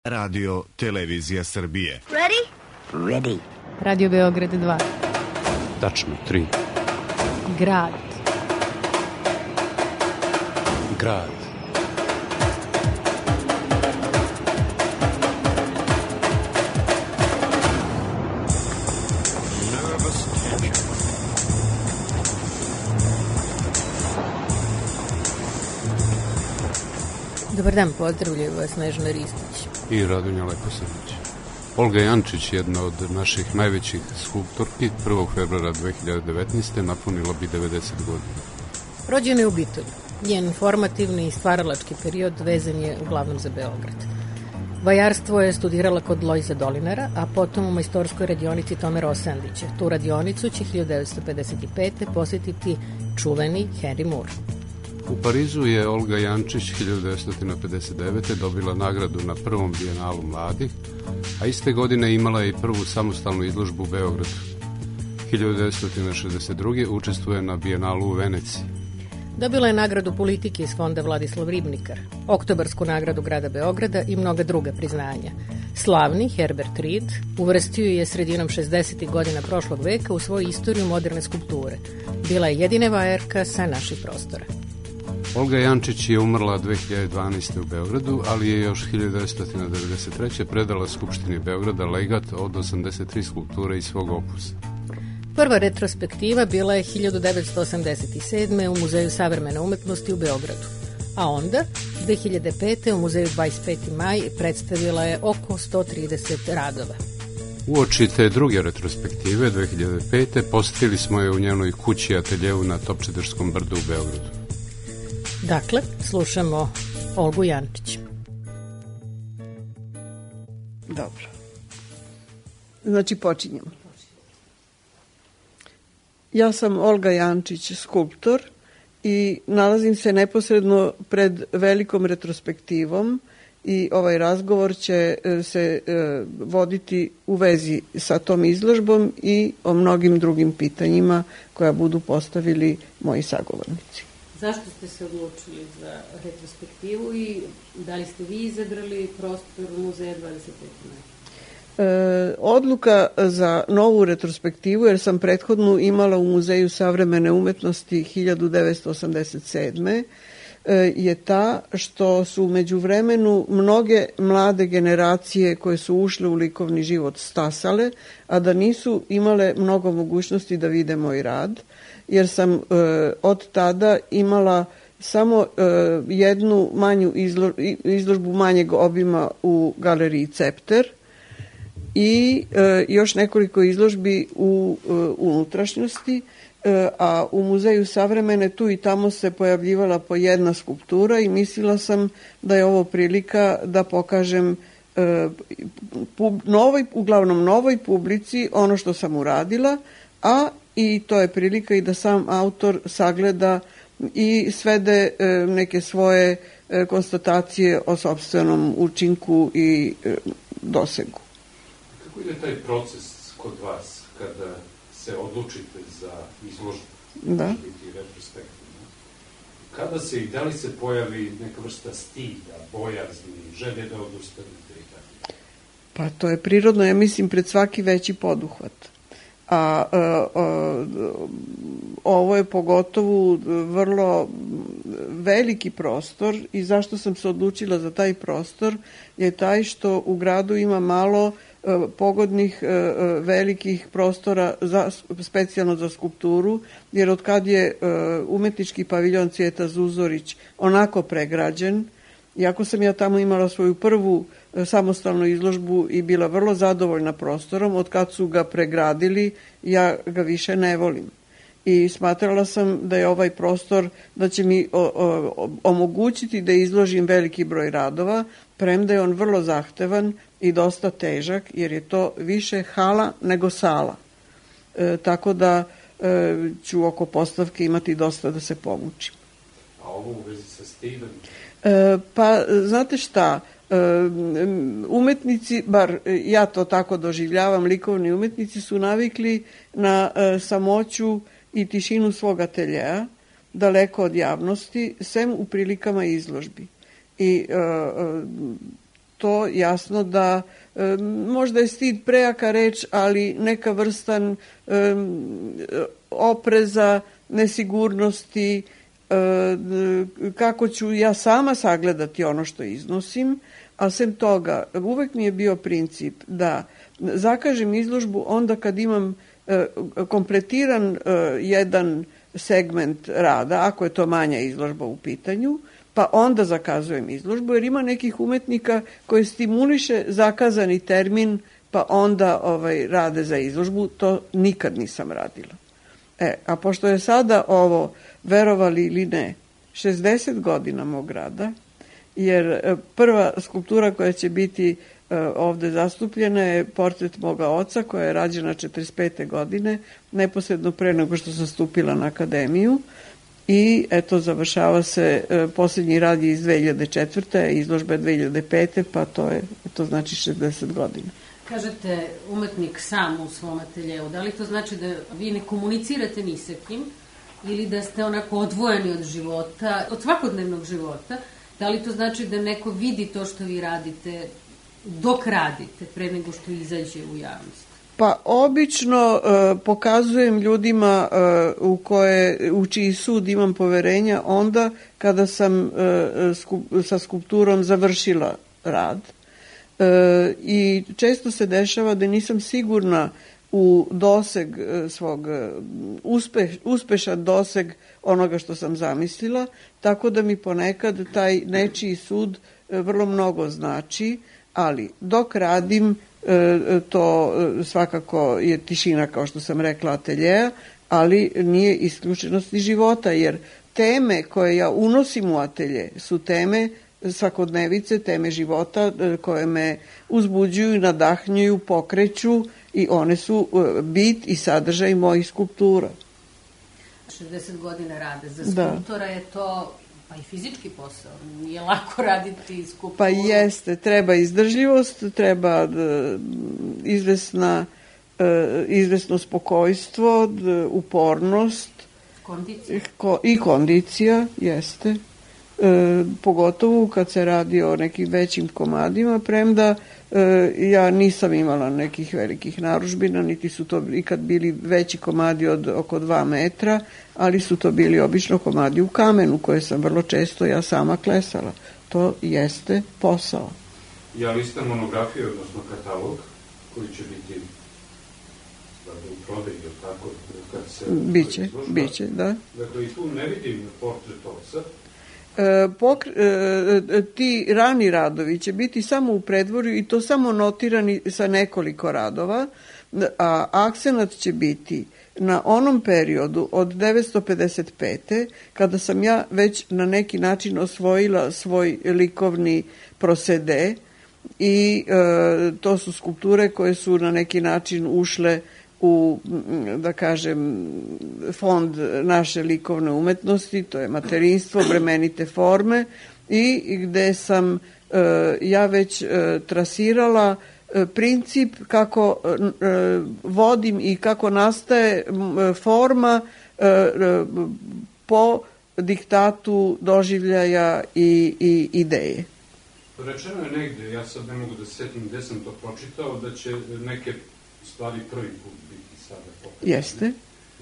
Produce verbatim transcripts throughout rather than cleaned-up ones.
Radio Televizija Srbije. Ready? Ready. Radio Beograd dva. Tačno, tri. Grad. Grad. Dobar dan, pozdravljaju vas Snežana Ristić i Radonja Leposanić. Olga Jančić, jedna od naših najvećih skulptorki, prvog februara dve hiljade devetnaeste. napunila bi devedeset godina. Rođena je u Bitolju. Njen formativni i stvaralački period vezan je uglavnom za Beograd. Vajarstvo je studirala kod Lojza Dolinara, a potom u majstorskoj radionici Tome Rosandića. Tu radionicu će hiljadu devetsto pedeset pete. posjetiti čuveni Henry Moore. U Parizu je Olga Jančić hiljadu devetsto pedeset devete. dobila nagradu na prvom bijenalu mladih, a iste godine imala je i prvu samostalnu izložbu u Beogradu. hiljadu devetsto šezdeset druge. učestvuje na bijenalu u Veneciji. Dobila je nagradu politike iz fonda Vladislav Ribnikar, oktobarsku nagradu grada Beograda i mnoga druga priznanja. Slavni Herbert Reed uvrstio je sredinom šezdesetih godina prošlog veka u svoju istoriju moderne skulpture. Bila je jedina vajarka sa naših prostora. Olga Jančić je umrla dve hiljade dvanaeste. u Beogradu, ali je još hiljadu devetsto devedeset treće. predala Skupštini Beograda legat od osamdeset tri skulpture iz svog opusa. Prva retrospektiva bila je hiljadu devetsto osamdeset sedme. u Muzeju savremene umetnosti u Beogradu, a onda dve hiljade pete. u Muzeju dvadeset peti maj predstavila je oko sto trideset radova. Uoči te druge retrospektive dve hiljade pete. posjetili smo je u njenoj kući ateljevu na Topčiderskom brdu u Beogradu. Dakle, slušamo Olgu Jančić. Dobro. Znači, počinjemo. Ja sam Olga Jančić, skulptor, i nalazim se neposredno pred velikom retrospektivom i ovaj razgovor će se voditi u vezi sa tom izložbom i o mnogim drugim pitanjima koja budu postavili moji sagovornici. Zašto ste se odlučili za retrospektivu i da li ste vi izabrali prostor Muzeja dvadeset peti maj? E, odluka za novu retrospektivu, jer sam prethodnu imala u Muzeju savremene umetnosti hiljadu devetsto osamdeset sedme. E, je ta što su u međuvremenu mnoge mlade generacije koje su ušle u likovni život stasale, a da nisu imale mnogo mogućnosti da vide moj rad, jer sam e, od tada imala samo e, jednu manju izlo, izložbu manjeg obima u galeriji Cepter i e, još nekoliko izložbi u e, unutrašnjosti, e, a u Muzeju savremene tu i tamo se pojavljivala po jedna skulptura i mislila sam da je ovo prilika da pokažem e, pub, novoj, uglavnom novoj publici ono što sam uradila, a i to je prilika i da sam autor sagleda i svede e, neke svoje e, konstatacije o sopstvenom učinku i e, dosegu. Kako ide taj proces kod vas kada se odlučite za izložbu? Da. Biti retrospektivno. Kada se i da li se pojavi neka vrsta stida, bojazni, želje da odustanete i tako? Pa to je prirodno, ja mislim, pred svaki veći poduhvat. A, a, a ovo je pogotovo vrlo veliki prostor i zašto sam se odlučila za taj prostor je taj što u gradu ima malo a, pogodnih a, velikih prostora za, specijalno za skulpturu, jer od kad je a, umetnički paviljon Cvijeta Zuzorić onako pregrađen, iako sam ja tamo imala svoju prvu samostalnu izložbu i bila vrlo zadovoljna prostorom, od kad su ga pregradili, ja ga više ne volim. I smatrala sam da je ovaj prostor, da će mi o, o, omogućiti da izložim veliki broj radova, premda je on vrlo zahtevan i dosta težak, jer je to više hala nego sala. E, tako da e, ću oko postavke imati dosta da se pomučim. A ovo u vezi sa Steven? E, pa, znate šta, umetnici, bar ja to tako doživljavam, likovni umetnici su navikli na samoću i tišinu svog ateljea, daleko od javnosti, sem u prilikama izložbi. I to jasno da e, možda je stid prejaka reč, ali neka vrstan e, opreza, nesigurnosti, e, kako ću ja sama sagledati ono što iznosim, a sem toga uvek mi je bio princip da zakažem izložbu onda kad imam e, kompletiran e, jedan segment rada, ako je to manja izložba u pitanju, pa onda zakazujem izložbu, jer ima nekih umetnika koji stimuliše zakazani termin, pa onda ovaj, rade za izložbu. To nikad nisam radila. E, a pošto je sada ovo, verovali ili ne, šezdeset godina mog rada, jer prva skulptura koja će biti ovde zastupljena je portret moga oca, koja je rađena četrdeset pete godine, neposredno pre nego što sam stupila na akademiju. I eto, završava se, posljednji rad je iz dve hiljade četvrte. izložba je dve hiljade pete. pa to je, to znači šezdeset godina. Kažete, umetnik sam u svom ateljeu, da li to znači da vi ne komunicirate ni sa kim, ili da ste onako odvojeni od života, od svakodnevnog života? Da li to znači da neko vidi to što vi radite dok radite, pre nego što izađe u javnost? Pa obično uh, pokazujem ljudima uh, u, koje, u čiji sud imam poverenja onda kada sam uh, skup, sa skulpturom završila rad. Uh, I često se dešava da nisam sigurna u doseg uh, svog, uh, uspe, uspešan doseg onoga što sam zamislila, tako da mi ponekad taj nečiji sud uh, vrlo mnogo znači, ali dok radim to svakako je tišina, kao što sam rekla, ateljeja, ali nije isključenost ni života, jer teme koje ja unosim u atelje su teme svakodnevice, teme života koje me uzbuđuju, nadahnjuju, pokreću i one su bit i sadržaj mojih skulptura. šezdeset godina rade za skulptora, da. Je to pa i fizički posao, nije lako raditi skulpturu. Pa jeste, treba izdržljivost, treba d, izvesna, e, izvesno spokojstvo, d, upornost. Kondicija. Ko, I kondicija, jeste. E, pogotovo kad se radi o nekim većim komadima, premda e, ja nisam imala nekih velikih narudžbina, niti su to ikad bili veći komadi od oko dva metra, ali su to bili obično komadi u kamenu, koje sam vrlo često ja sama klesala. To jeste posao. Ja listam monografiju, odnosno katalog, koji će biti u prodaji, ili tako, kad se... Biće, biće, da. Dakle, i tu ne vidim portret oca. E, pokre, e, ti rani radovi će biti samo u predvorju i to samo notirani sa nekoliko radova, a akcenat će biti na onom periodu od devetsto pedeset pete. kada sam ja već na neki način osvojila svoj likovni prosede i e, to su skulpture koje su na neki način ušle u, da kažem, fond naše likovne umetnosti, to je materinstvo, bremenite forme, i gde sam e, ja već e, trasirala e, princip kako e, vodim i kako nastaje e, forma e, e, po diktatu doživljaja i, i ideje. Rečeno je negde, ja sad ne mogu da se setim gde sam to pročitao, da će neke stvari prvi put biti sada pokazane. Jeste.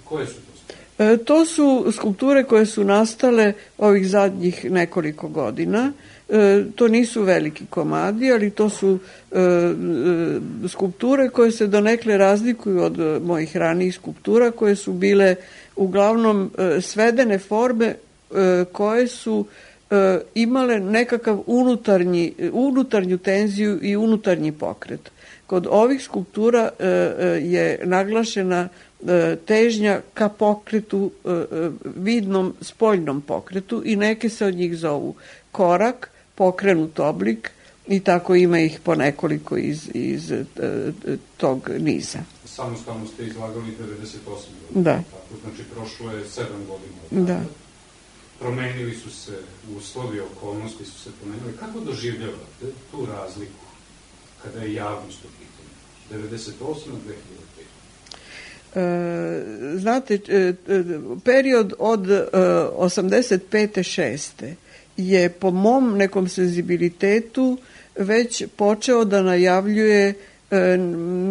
Koje su to stvari? E, to su skulpture koje su nastale ovih zadnjih nekoliko godina. E, to nisu veliki komadi, ali to su e, e, skulpture koje se donekle razlikuju od mojih ranijih skulptura, koje su bile uglavnom e, svedene forme e, koje su e, imale nekakav unutarnji, unutarnju tenziju i unutarnji pokret. Kod ovih skulptura e, je naglašena e, težnja ka pokretu, e, vidnom spoljnom pokretu, i neke se od njih zovu korak, pokrenut oblik, i tako ima ih po nekoliko iz, iz e, tog niza. Samostalno ste izlagali devedeset osam godina. Da. Tako, znači prošlo je sedam godina. Da. Promenili su se uslovi, okolnosti su se promenili. Kako doživljavate tu razliku kada je javnost u pitanju? devedeset osam do dve hiljade pete. E, znate, period od e, osamdeset pete šeste je po mom nekom senzibilitetu već počeo da najavljuje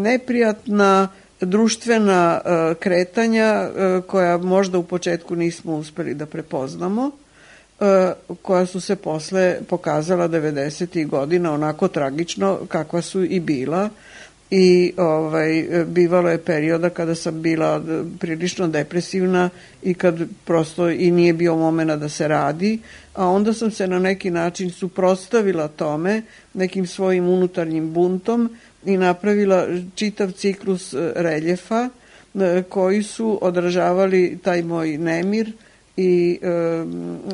neprijatna društvena kretanja koja možda u početku nismo uspeli da prepoznamo, koja su se posle pokazala devedesetih godina onako tragično kakva su i bila. I ovaj, bivalo je perioda kada sam bila prilično depresivna i kad prosto i nije bio momena da se radi, a onda sam se na neki način suprotstavila tome nekim svojim unutarnjim buntom i napravila čitav ciklus reljefa koji su odražavali taj moj nemir i e,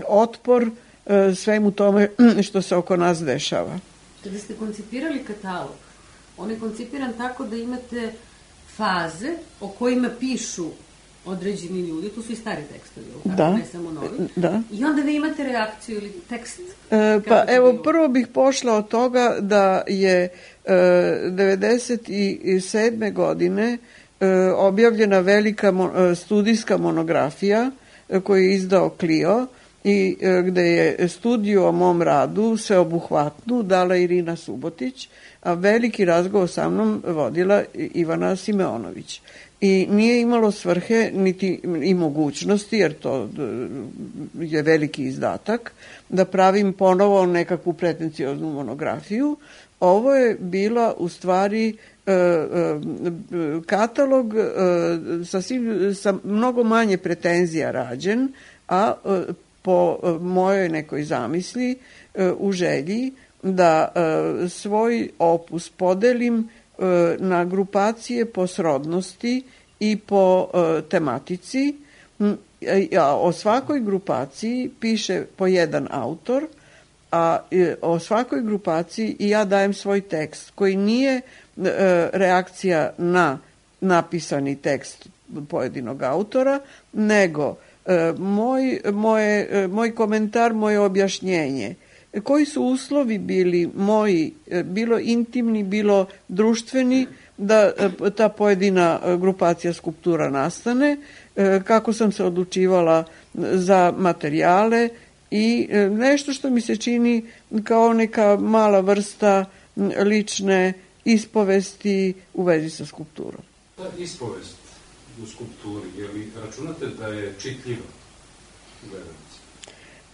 otpor e, svemu tome što se oko nas dešava. Kada ste koncipirali katalog, on je koncipiran tako da imate faze o kojima pišu određeni ljudi, tu su i stari tekstovi, da, ne samo novi, da. I onda vi imate reakciju ili tekst? E, pa evo, prvo bih pošla od toga da je e, devedeset sedme godine e, objavljena velika mo, studijska monografija e, koju je izdao Clio i e, gde je studiju o mom radu sveobuhvatnu dala Irina Subotić, a veliki razgovor sa mnom vodila Ivana Simeonović. I nije imalo svrhe niti i mogućnosti, jer to je veliki izdatak, da pravim ponovo nekakvu pretencioznu monografiju. Ovo je bila u stvari katalog sa, svim, sa mnogo manje pretenzija rađen, a po mojoj nekoj zamisli u želji da e, svoj opus podelim e, na grupacije po srodnosti i po e, tematici, a o svakoj grupaciji piše po jedan autor, a e, o svakoj grupaciji i ja dajem svoj tekst koji nije e, reakcija na napisani tekst pojedinog autora, nego e, moj, moje, moj komentar, moje objašnjenje. Koji su uslovi bili moji, bilo intimni, bilo društveni, da ta pojedina grupacija skulptura nastane, kako sam se odlučivala za materijale i nešto što mi se čini kao neka mala vrsta lične ispovesti u vezi sa skulpturom. Ta ispovest u skulpturi, je li računate da je čitljiva u gledalnici?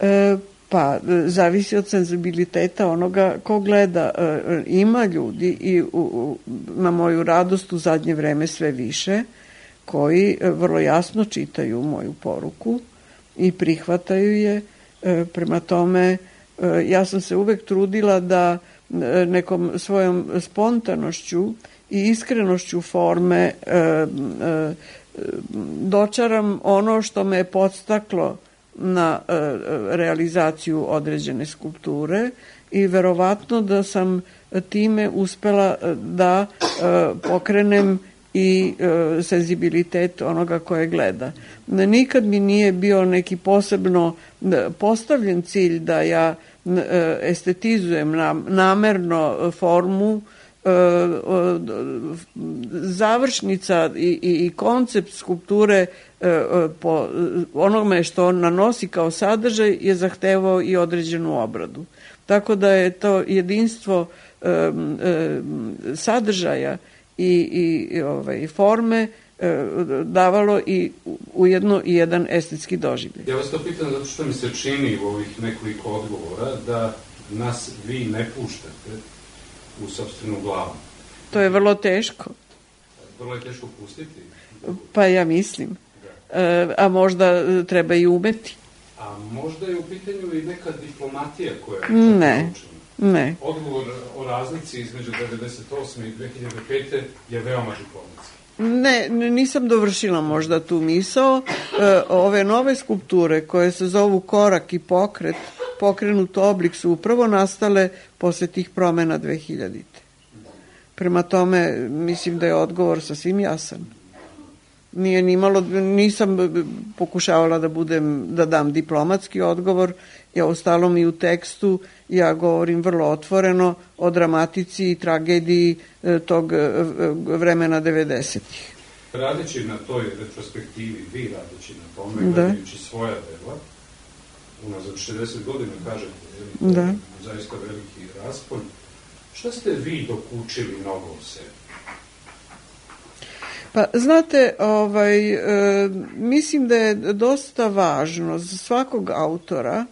E, Pa, zavisi od senzibiliteta onoga ko gleda. E, ima ljudi i u, u, na moju radost u zadnje vreme sve više, koji vrlo jasno čitaju moju poruku i prihvataju je. E, prema tome, e, ja sam se uvek trudila da e, nekom svojom spontanošću i iskrenošću forme e, e, dočaram ono što me je podstaklo na e, realizaciju određene skulpture i verovatno da sam time uspela da e, pokrenem i e, senzibilitet onoga koje gleda. Nikad mi nije bio neki posebno postavljen cilj da ja e, estetizujem nam, namerno formu. Završnica i, i, i koncept skulpture po onome što on nanosi kao sadržaj je zahtevao i određenu obradu. Tako da je to jedinstvo um, um, sadržaja i, i ovaj, forme um, davalo i ujedno i jedan estetski doživljaj. Ja vas to pitam zato što mi se čini u ovih nekoliko odgovora da nas vi ne puštate u sopstvenu glavu. To je vrlo teško. Vrlo je teško pustiti? Pa ja mislim. E, a možda treba i umeti. A možda je u pitanju i neka diplomatija koja je ne, naučena. Ne. Odgovor o razlici između devedeset osme i dve hiljade pete je veoma diplomatski. Ne, nisam dovršila možda tu misao. E, ove nove skulpture koje se zovu korak i pokret, pokrenut oblik su upravo nastale posle tih promena dve hiljadite. Prema tome, mislim da je odgovor sasvim jasan. Nije ni malo, nisam pokušavala da budem, da dam diplomatski odgovor, ja ostalom i u tekstu ja govorim vrlo otvoreno o dramatici i tragediji tog vremena devedesetih. Radeći na toj retrospektivi, vi radeći na tome, gledajući svoja dela, unazad šezdeset godina, kažete, je da. Zaista veliki raspon, Šta ste vi dokučili mnogo o sebi? Pa, znate, ovaj, e, mislim da je dosta važno za svakog autora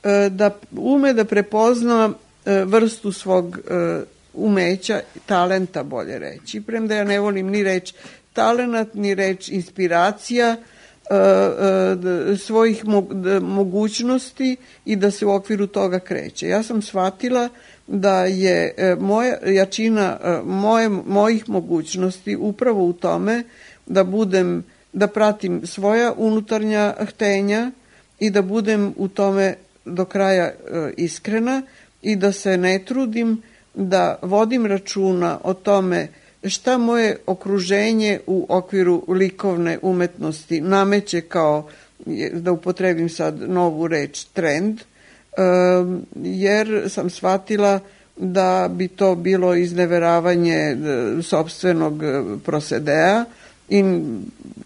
e, da ume da prepozna e, vrstu svog e, umeća, talenta bolje reći. Premda ja ne volim ni reč talenat, ni reč inspiracija, e, e, svojih mogućnosti i da se u okviru toga kreće. Ja sam shvatila da je moja jačina moje, mojih mogućnosti upravo u tome da budem, da pratim svoja unutarnja htenja i da budem u tome do kraja iskrena i da se ne trudim da vodim računa o tome šta moje okruženje u okviru likovne umetnosti nameće kao, da upotrebim sad novu reč, trend, jer sam shvatila da bi to bilo izneveravanje sopstvenog prosedea i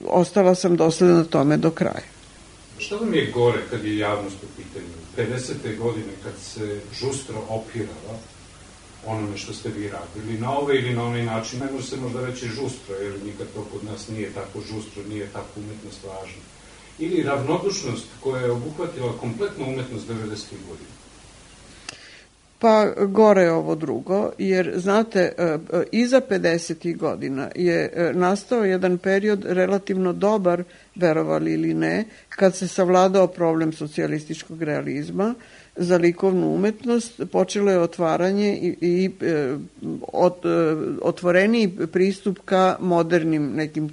ostala sam dosledna tome do kraja. Šta vam je gore kad je javnost u pitanju? pedesete godine kad se žustro opirala onome što ste vi radili, na ovaj ili na onaj način, ne može se možda reći žustro, jer nikad to kod nas nije tako žustro, nije tako umetnost važna. Ili ravnodušnost koja je obuhvatila kompletnu umetnost devedesetih godina? Pa gore je ovo drugo, jer znate, iza pedesetih godina je nastao jedan period relativno dobar, verovali ili ne, kad se savladao problem socijalističkog realizma za likovnu umetnost, počelo je otvaranje i, i ot, otvoreniji pristup ka modernim nekim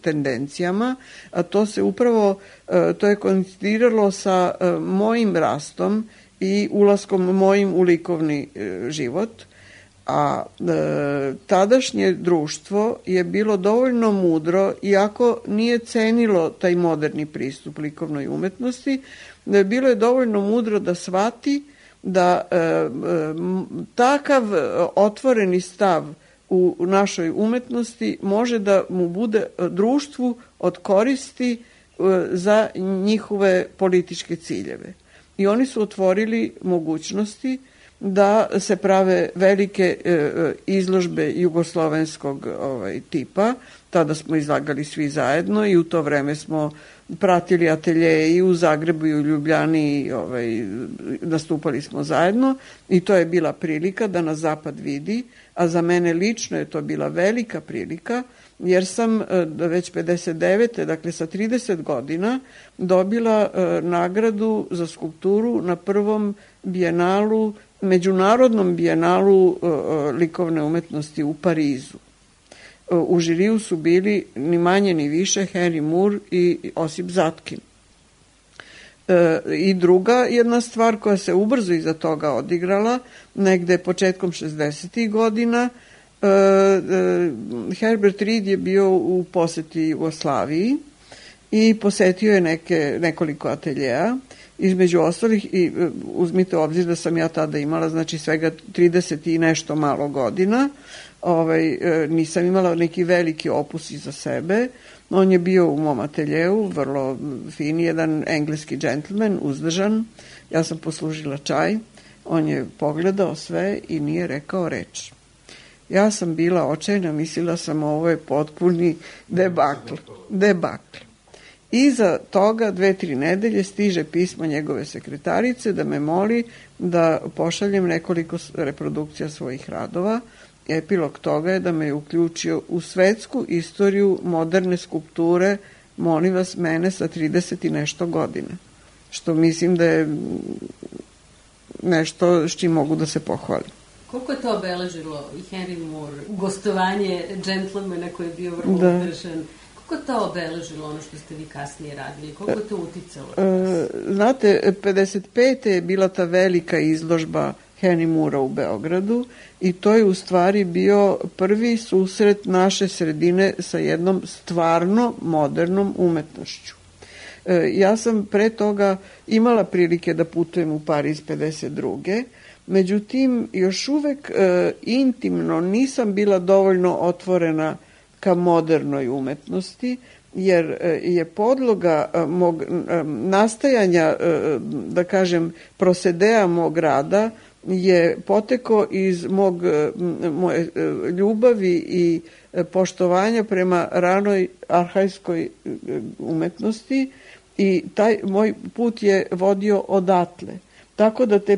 tendencijama, a to se upravo, to je koincidiralo sa mojim rastom i ulaskom mojim u likovni život, a e, tadašnje društvo je bilo dovoljno mudro, iako nije cenilo taj moderni pristup likovnoj umetnosti, da je bilo je dovoljno mudro da shvati da e, e, takav otvoreni stav u našoj umetnosti može da mu bude društvu od koristi e, za njihove političke ciljeve. I oni su otvorili mogućnosti da se prave velike e, izložbe jugoslovenskog ovaj, tipa. Tada smo izlagali svi zajedno i u to vreme smo pratili ateljeje i u Zagrebu i u Ljubljani i ovaj, nastupali smo zajedno i to je bila prilika da nas Zapad vidi, a za mene lično je to bila velika prilika jer sam već pedeset devete dakle sa trideset godina, dobila nagradu za skulpturu na prvom bijenalu, međunarodnom bijenalu likovne umetnosti u Parizu. U žiriju su bili ni manje ni više Henry Moore i Osip Zatkin. I druga jedna stvar koja se ubrzo iza toga odigrala, negde početkom šezdesetih godina, Herbert Reed je bio u poseti Jugoslaviji i posetio je neke, nekoliko ateljeja, između ostalih, i uzmite u obzir da sam ja tada imala znači svega trideset i nešto malo godina, ovaj, nisam imala neki veliki opus iza sebe. On je bio u mom ateljeu, vrlo fin, jedan engleski džentlmen, uzdržan. Ja sam poslužila čaj, on je pogledao sve i nije rekao reč. Ja sam bila očajna, mislila sam ovo je potpuni debakl. Debakl. Iza toga dve, tri nedelje stiže pismo njegove sekretarice da me moli da pošaljem nekoliko reprodukcija svojih radova. Epilog toga je da me je uključio u svetsku istoriju moderne skulpture, molim vas, mene sa trideset i nešto godina. Što mislim da je nešto s čim mogu da se pohvalim. Koliko je to obeležilo i Henry Moore, gostovanje džentlmena koji je bio vrlo da. udržan? Koliko je to obeležilo ono što ste vi kasnije radili? Koliko je to uticalo? E, znate, pedeset pete je bila ta velika izložba Henry Moora u Beogradu i to je u stvari bio prvi susret naše sredine sa jednom stvarno modernom umetnošću. E, ja sam pre toga imala prilike da putujem u Pariz pedeset druge Međutim, još uvek e, intimno nisam bila dovoljno otvorena ka modernoj umetnosti, jer e, je podloga e, mog e, nastajanja, e, da kažem, prosedea mog rada je potekao iz mog, moje ljubavi i poštovanja prema ranoj arhajskoj umetnosti i taj moj put je vodio odatle. Tako da te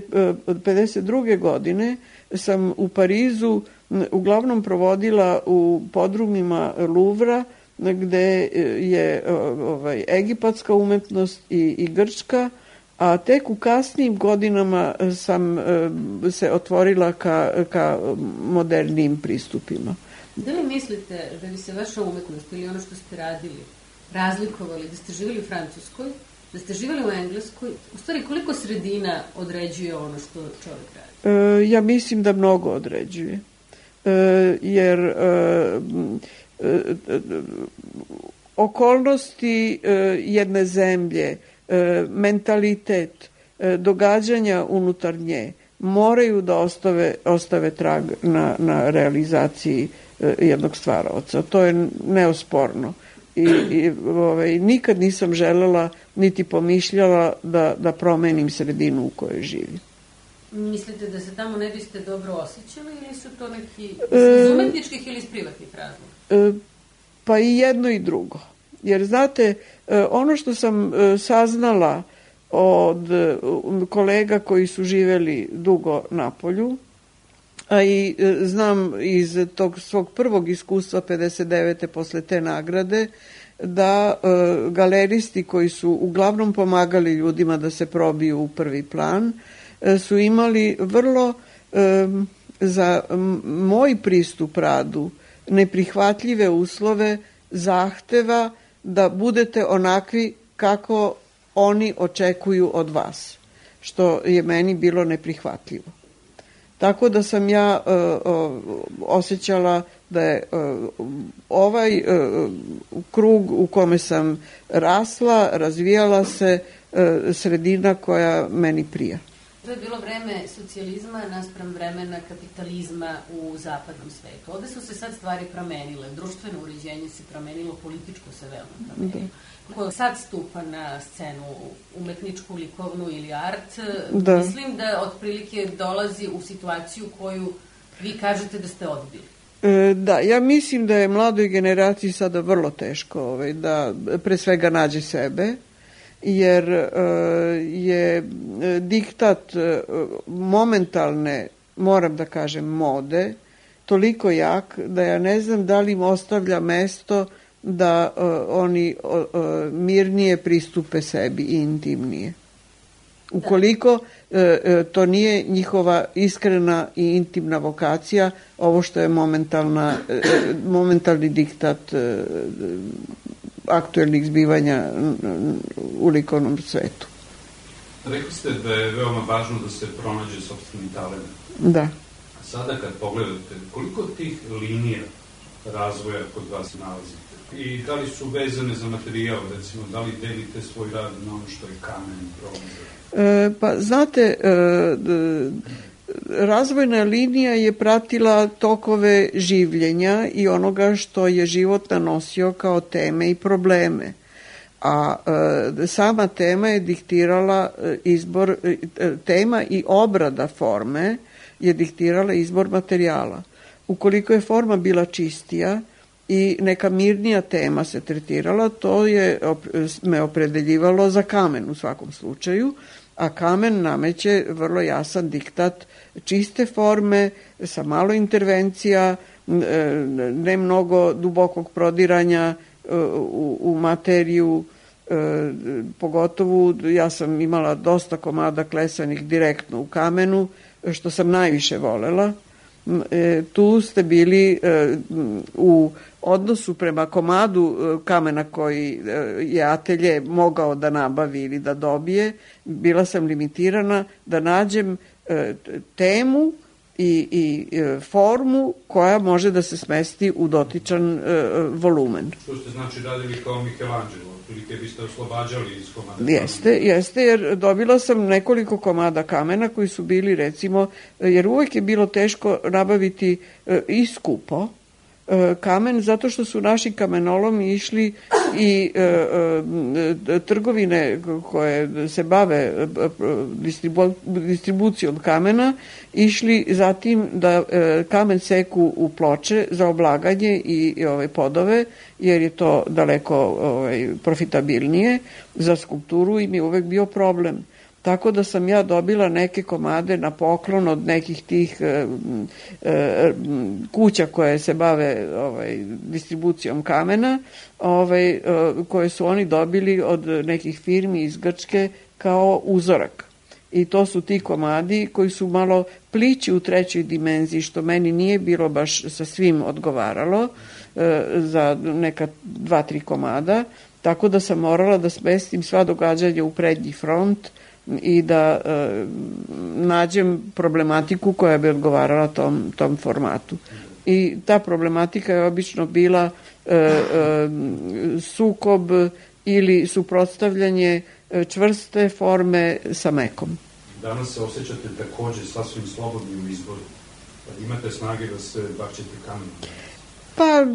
pedeset druge godine sam u Parizu uglavnom provodila u podrumima Luvra, gde je ovaj, egipatska umetnost i, i grčka, a tek u kasnijim godinama sam se otvorila ka, ka modernijim pristupima. Da li mislite da bi se vaša umetnost ili ono što ste radili razlikovali, da ste živjeli u Francuskoj, da ste živjeli u Engleskoj? U stvari, koliko sredina određuje ono što čovjek radi? E, ja mislim da mnogo određuje. E, jer e, e, okolnosti e, jedne zemlje, e, mentalitet, e, događanja unutar nje moraju da ostave, ostave trag na, na realizaciji e, jednog stvaraoca. To je neosporno. I, i ovaj, nikad nisam želela niti pomišljala da, da promenim sredinu u kojoj živim. Mislite da se tamo ne biste dobro osjećali ili su to neki iz umetničkih ili iz privatnih razloga? E, pa i jedno i drugo. Jer znate, ono što sam saznala od kolega koji su živeli dugo na polju, a i znam iz tog svog prvog iskustva pedeset devete posle te nagrade, da e, galeristi koji su uglavnom pomagali ljudima da se probiju u prvi plan, e, su imali vrlo e, za moj pristup radu neprihvatljive uslove zahteva da budete onakvi kako oni očekuju od vas, što je meni bilo neprihvatljivo. Tako da sam ja uh, uh, osjećala da je uh, ovaj uh, krug u kome sam rasla, razvijala se, uh, sredina koja meni prija. To je bilo vreme socijalizma naspram vremena kapitalizma u zapadnom svetu. Ovde su se sad stvari promenile, društveno uređenje se promenilo, političko se veoma promenilo. Ko sad stupa na scenu umetničku, likovnu ili art, da. Mislim da otprilike dolazi u situaciju koju vi kažete da ste odbili. E, da, ja mislim da je mladoj generaciji sada vrlo teško ovaj, da pre svega nađe sebe, jer e, je diktat e, momentalne, moram da kažem, mode toliko jak da ja ne znam da li im ostavlja mesto da uh, oni uh, mirnije pristupe sebi i intimnije. Ukoliko uh, uh, to nije njihova iskrena i intimna vokacija, ovo što je momentalna, uh, momentalni diktat uh, aktuelnih zbivanja u likovnom svetu. Rekli ste da je veoma važno da se pronađe sopstveni talent. Da. A sada kad pogledate, koliko tih linija razvoja kod vas nalazite? I da li su vezane za materijal, recimo, da li delite svoj rad na ono što je kamen, bronza? E, pa, znate, e, razvojna linija je pratila tokove življenja i onoga što je život nanosio kao teme i probleme. A e, sama tema je diktirala izbor, e, tema i obrada forme je diktirala izbor materijala. Ukoliko je forma bila čistija i neka mirnija tema se tretirala, to je me opredeljivalo za kamen u svakom slučaju, a kamen nameće vrlo jasan diktat čiste forme, sa malo intervencija, ne mnogo dubokog prodiranja u, u materiju, pogotovo ja sam imala dosta komada klesanih direktno u kamenu, što sam najviše volela. E, tu ste bili e, u odnosu prema komadu e, kamena koji e, je atelje mogao da nabavi ili da dobije, bila sam limitirana da nađem e, temu i, i e, formu koja može da se smesti u dotičan e, volumen. Što ste znači radili kao Michelangelo? Prilike biste oslobađali iz komada? Jeste, jeste, jer dobila sam nekoliko komada kamena koji su bili, recimo, jer uvek je bilo teško nabaviti e, i skupo e, kamen, zato što su naši kamenolomi išli i e, e, trgovine koje se bave distribu, distribucijom kamena išli zatim da e, kamen seku u ploče za oblaganje i, i ove podove, jer je to daleko ovaj, profitabilnije za skulpturu i mi je uvek bio problem. Tako da sam ja dobila neke komade na poklon od nekih tih e, e, kuća koje se bave ovaj, distribucijom kamena, ovaj, e, koje su oni dobili od nekih firmi iz Grčke kao uzorak. I to su ti komadi koji su malo plići u trećoj dimenziji, što meni nije bilo baš sa svim odgovaralo e, za neka dva, tri komada, tako da sam morala da smestim sva događanja u prednji front i da e, nađem problematiku koja bi odgovarala tom, tom formatu. I ta problematika je obično bila e, e, sukob ili suprotstavljanje čvrste forme sa mekom. Danas se osjećate takođe sasvim slobodni u izboru. Imate snage da se bačete kamenom? Pa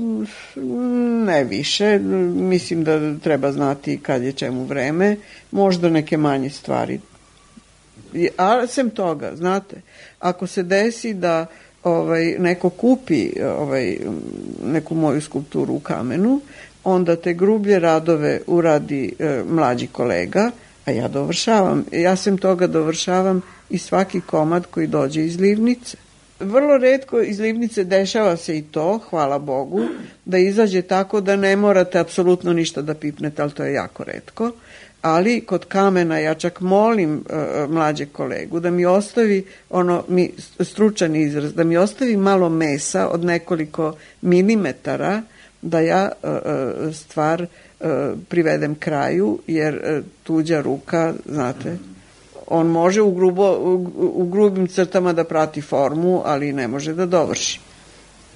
ne više, mislim da treba znati kad je čemu vreme, možda neke manje stvari. A sem toga, znate, ako se desi da ovaj, neko kupi ovaj, neku moju skulpturu u kamenu, onda te grublje radove uradi e, mlađi kolega, a ja dovršavam. Ja sem toga dovršavam i svaki komad koji dođe iz livnice. Vrlo retko iz livnice dešava se i to, hvala Bogu, da izađe tako da ne morate apsolutno ništa da pipnete, ali to je jako retko. Ali kod kamena ja čak molim uh, mlađe kolegu da mi ostavi, ono, mi, stručan izraz, da mi ostavi malo mesa od nekoliko milimetara da ja uh, stvar uh, privedem kraju, jer uh, tuđa ruka, znate, on može u, grubo, u, u grubim crtama da prati formu, ali ne može da dovrši.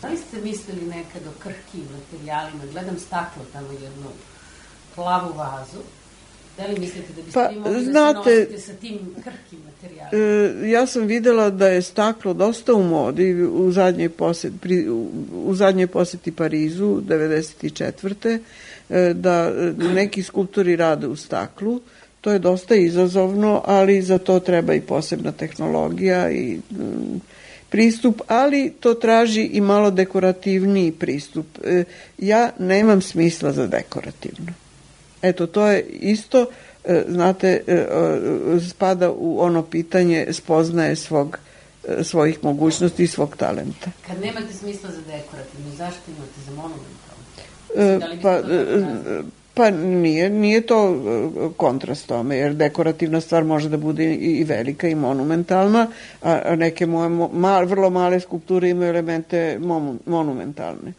Da li ste mislili nekad o krhkim materijalima? Gledam staklo tamo jednu plavu vazu. Da li mislite da biste pa, vi mogli znate, da se nosite sa tim krhkim materijalima? E, ja sam videla da je staklo dosta u modi u zadnjoj poseti, pri, u, u zadnjoj poseti Parizu, devedeset četvrte E, da neki skulptori rade u staklu. To je dosta izazovno, ali za to treba i posebna tehnologija i mm, pristup, ali to traži i malo dekorativniji pristup. E, ja nemam smisla za dekorativno. Eto, to je isto, e, znate, e, spada u ono pitanje spoznaje svog, e, svojih mogućnosti i svog talenta. Kad nemate smisla za dekorativno, zašto imate za monumentalno? E, pa, Pa nije, nije to kontrast tome, jer dekorativna stvar može da bude i velika i monumentalna, a neke moje mal, vrlo male skulpture imaju elemente monumentalne.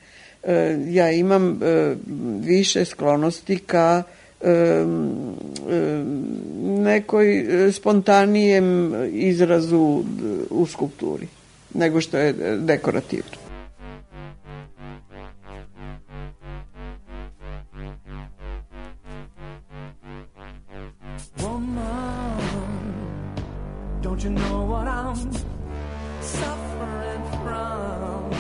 Ja imam više sklonosti ka nekoj spontanijem izrazu u skulpturi, nego što je dekorativno. Don't you know what I'm suffering from?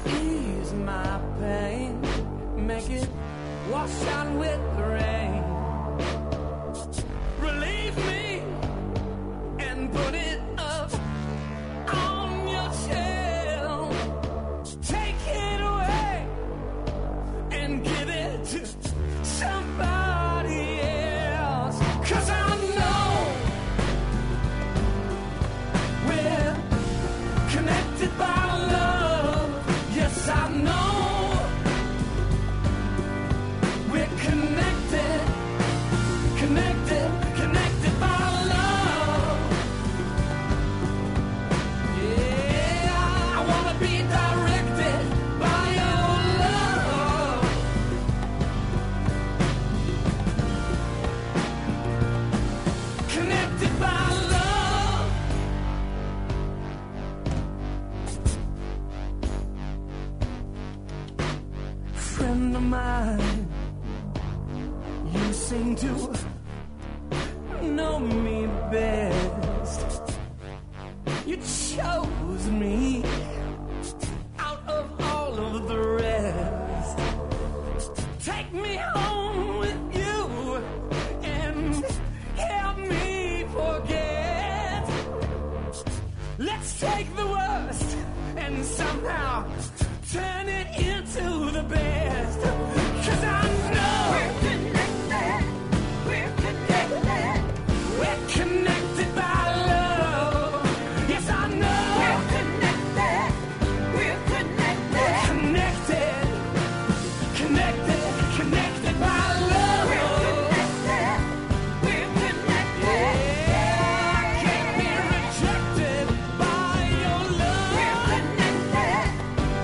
Ease my pain, make it wash out with the rain. Relieve me and put it up on your shelf. Take it away and give it to somebody else. 'Cause I connected by love, yes I know we're connected, connected, connected by love. Yeah, I wanna be directed by your love. Connected by love. Friend of mine, you seem to know me best. You chose me out of all of the rest. somehow turn it into the best. 'Cause I know we're connected, we're connected, we're connected by love. Yes, I know we're connected, we're connected, we're connected, connected, connected by love. We're connected, we're connected. Yeah, I can't be rejected by your love. We're connected,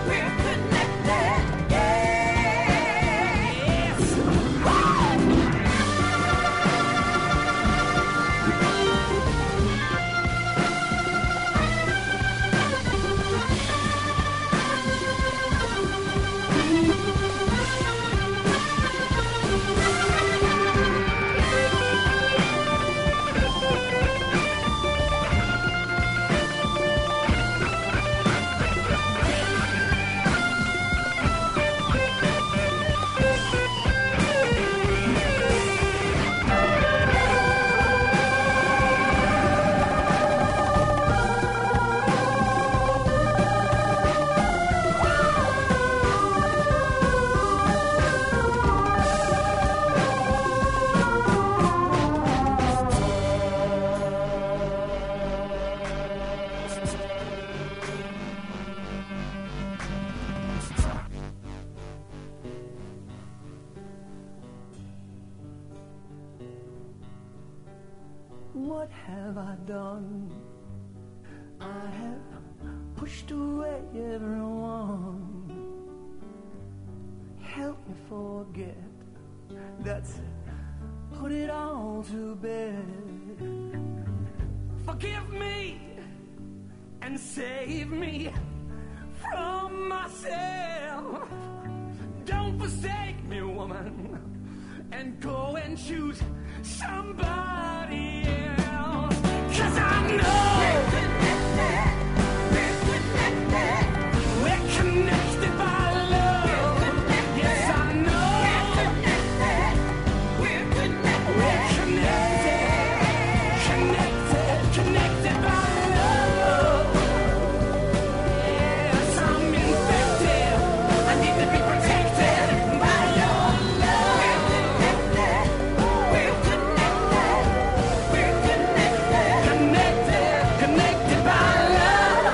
we're connected. Yes. What have I done? I have pushed away everyone. Help me forget. Let's put it all to bed. Forgive me and save me from myself. Don't forsake me, woman, and go and choose somebody else. 'Cause I know we're connected, we're connected, we're connected by love. Yes, I know we're connected, we're connected, we're connected, connected, connected by love. Yes, I'm infected, I need to be protected by your love. We're connected, we're connected, we're connected, connected, connected by love.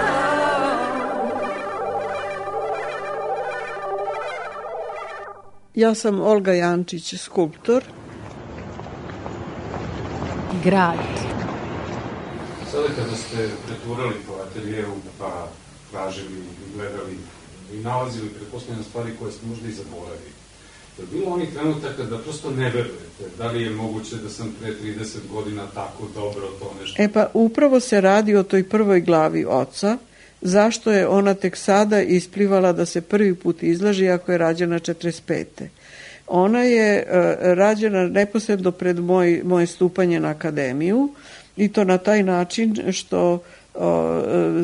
Ja sam Olga Jančić, skulptor. Grad. Sada kada ste preturali po ateljeu, pa tražili i gledali i nalazili pretpostavljene stvari koje ste možda i zaboravili, je bilo onih trenutaka da prosto ne verujete? Da li je moguće da sam pre trideset godina tako dobro to nešto... E pa upravo se radi o toj prvoj glavi oca, zašto je ona tek sada isplivala da se prvi put izlaži ako je rađena četrdeset pete. Ona je uh, rađena neposredno pred moj, moje stupanje na akademiju i to na taj način što uh,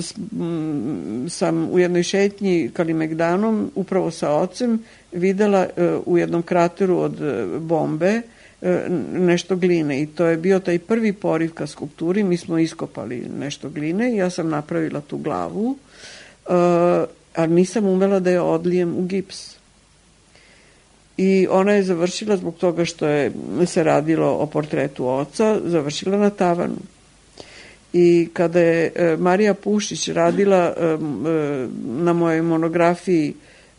s, m, sam u jednoj šetnji Kalimegdanom upravo sa ocem videla uh, u jednom krateru od uh, bombe uh, nešto gline i to je bio taj prvi poriv ka skulpturi. Mi smo iskopali nešto gline i ja sam napravila tu glavu, uh, a nisam umela da je odlijem u gips. I ona je završila, zbog toga što je se radilo o portretu oca, završila na tavanu. I kada je e, Marija Pušić radila e, e, na mojoj monografiji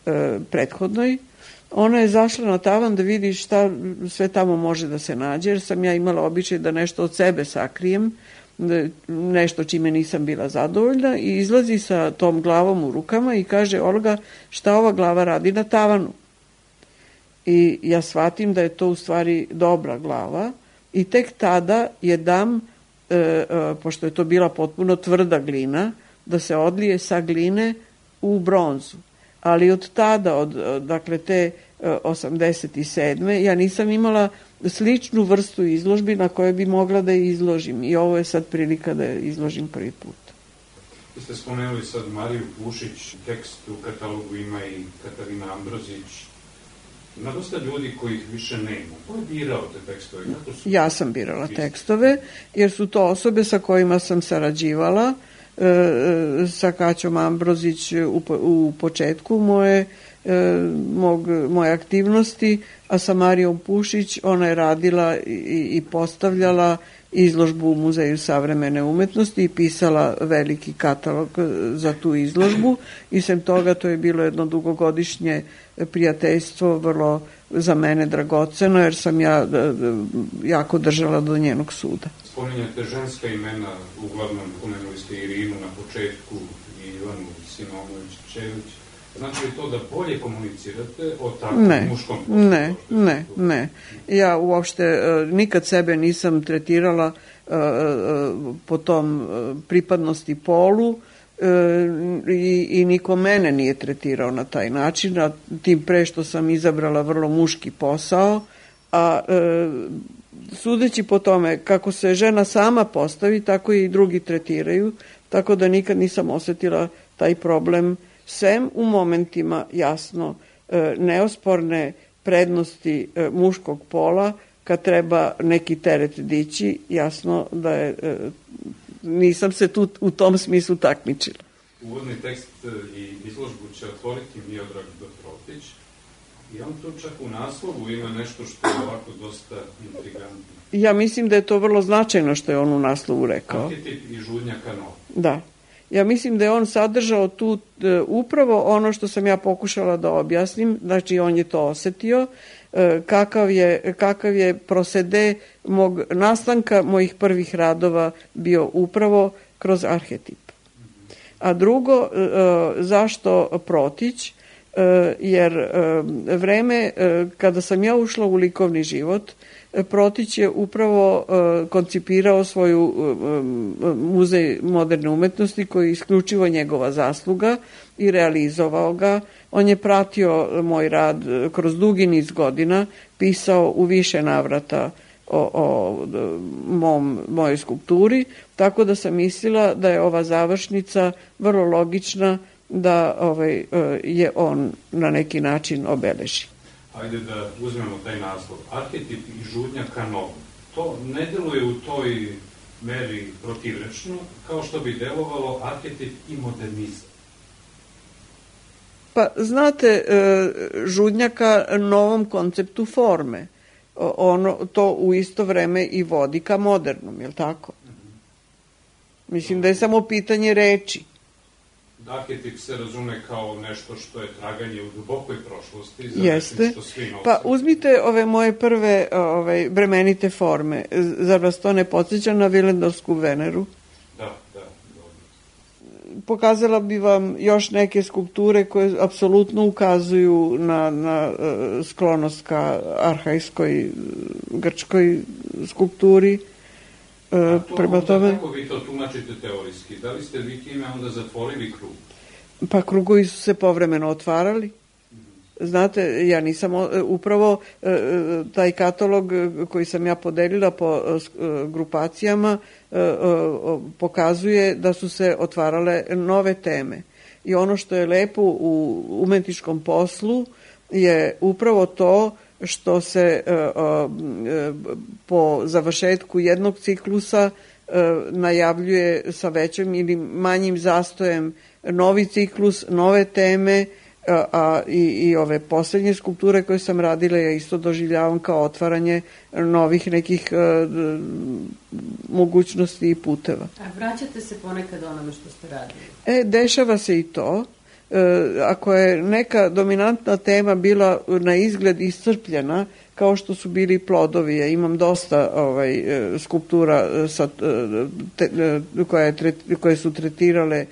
e, prethodnoj, ona je zašla na tavan da vidi šta sve tamo može da se nađe, jer sam ja imala običaj da nešto od sebe sakrijem, da, nešto čime nisam bila zadovoljna, i izlazi sa tom glavom u rukama i kaže: Olga, šta ova glava radi na tavanu? I ja shvatim da je to u stvari dobra glava i tek tada je dam, e, e, pošto je to bila potpuno tvrda glina, da se odlije sa gline u bronzu. Ali od tada, od, dakle te osamdeset sedme ja nisam imala sličnu vrstu izložbi na kojoj bi mogla da je izložim i ovo je sad prilika da je izložim prvi put. Vi ste spomenuli sad Mariju Pušić, tekst u katalogu ima i Katarina Ambrozić. Ima dosta ljudi kojih više nema. Ko je birao te tekstove? Su... Ja sam birala tekstove, jer su to osobe sa kojima sam sarađivala sa Kaćom Ambrozić u, u početku moje, mog, moje aktivnosti, a sa Marijom Pušić ona je radila i, i postavljala izložbu u Muzeju savremene umetnosti i pisala veliki katalog za tu izložbu i sem toga to je bilo jedno dugogodišnje prijateljstvo, vrlo za mene dragoceno, jer sam ja jako držala do njenog suda. Spominjate ženska imena, uglavnom pomenuli ste Irinu na početku i Ivanu Simonović-Čević. Znači li to da bolje komunicirate o takvom ne, muškom poslu? Ne, ne, ne. Ja uopšte uh, nikad sebe nisam tretirala uh, uh, po tom uh, pripadnosti polu uh, i, i niko mene nije tretirao na taj način, a tim pre što sam izabrala vrlo muški posao, a uh, sudeći po tome kako se žena sama postavi, tako i drugi tretiraju, tako da nikad nisam osetila taj problem, sem u momentima, jasno, neosporne prednosti muškog pola, kad treba neki teret dići, jasno da je, nisam se tu u tom smislu takmičila. Uvodni tekst i izložbu će otvoriti Miodrag Dotrotić i on tu čak u naslovu ima nešto što je ovako dosta intrigantno. Ja mislim da je to vrlo značajno što je on u naslovu rekao. Arhetip i žudnja kanova. Da. Ja mislim da je on sadržao tu e, upravo ono što sam ja pokušala da objasnim, znači on je to osetio, e, kakav, je, kakav je prosede mog nastanka mojih prvih radova bio upravo kroz arhetip. A drugo, e, zašto Protić? E, jer e, vreme e, kada sam ja ušla u likovni život, Protić je upravo uh, koncipirao svoju uh, muzej moderne umetnosti koji je isključivo njegova zasluga i realizovao ga. On je pratio moj rad kroz dugi niz godina, pisao u više navrata o, o mom, mojoj skulpturi, tako da sam mislila da je ova završnica vrlo logična da ovaj, je on na neki način obeleži. Hajde da uzmemo taj naslov. Arhetip i žudnja ka novom. To ne deluje u toj meri protivrečno, kao što bi delovalo arhetip i modernizam. Pa, znate, žudnja ka novom konceptu forme. Ono, to u isto vreme i vodi ka modernom, je li tako? Mislim da je samo pitanje reči. Arhetip se razume kao nešto što je traganje u dubokoj prošlosti, za Jeste. što svi nosimo. Pa uzmite ove moje prve ove, bremenite forme. Zar vas to ne podsjeća na Vilendorsku Veneru? Da, da. Dobro. Pokazala bi vam još neke skulpture koje apsolutno ukazuju na, na uh, sklonost ka arhajskoj grčkoj skulpturi. A to prema onda, tome, kako vi to tumačite teorijski? Da li ste vi time onda zatvorili krug? Pa krugovi su se povremeno otvarali. Znate, ja nisam, upravo taj katalog koji sam ja podelila po grupacijama pokazuje da su se otvarale nove teme. I ono što je lepo u umetničkom poslu je upravo to što se po završetku jednog ciklusa najavljuje sa većim ili manjim zastojem novi ciklus, nove teme, a i, i ove poslednje skulpture koje sam radila ja isto doživljavam kao otvaranje novih nekih uh, mogućnosti i puteva. A vraćate se ponekad onome što ste radili? E, dešava se i to. E, ako je neka dominantna tema bila na izgled iscrpljena, kao što su bili plodovi, ja imam dosta ovaj, skulptura sa, te, koje, koje su tretirale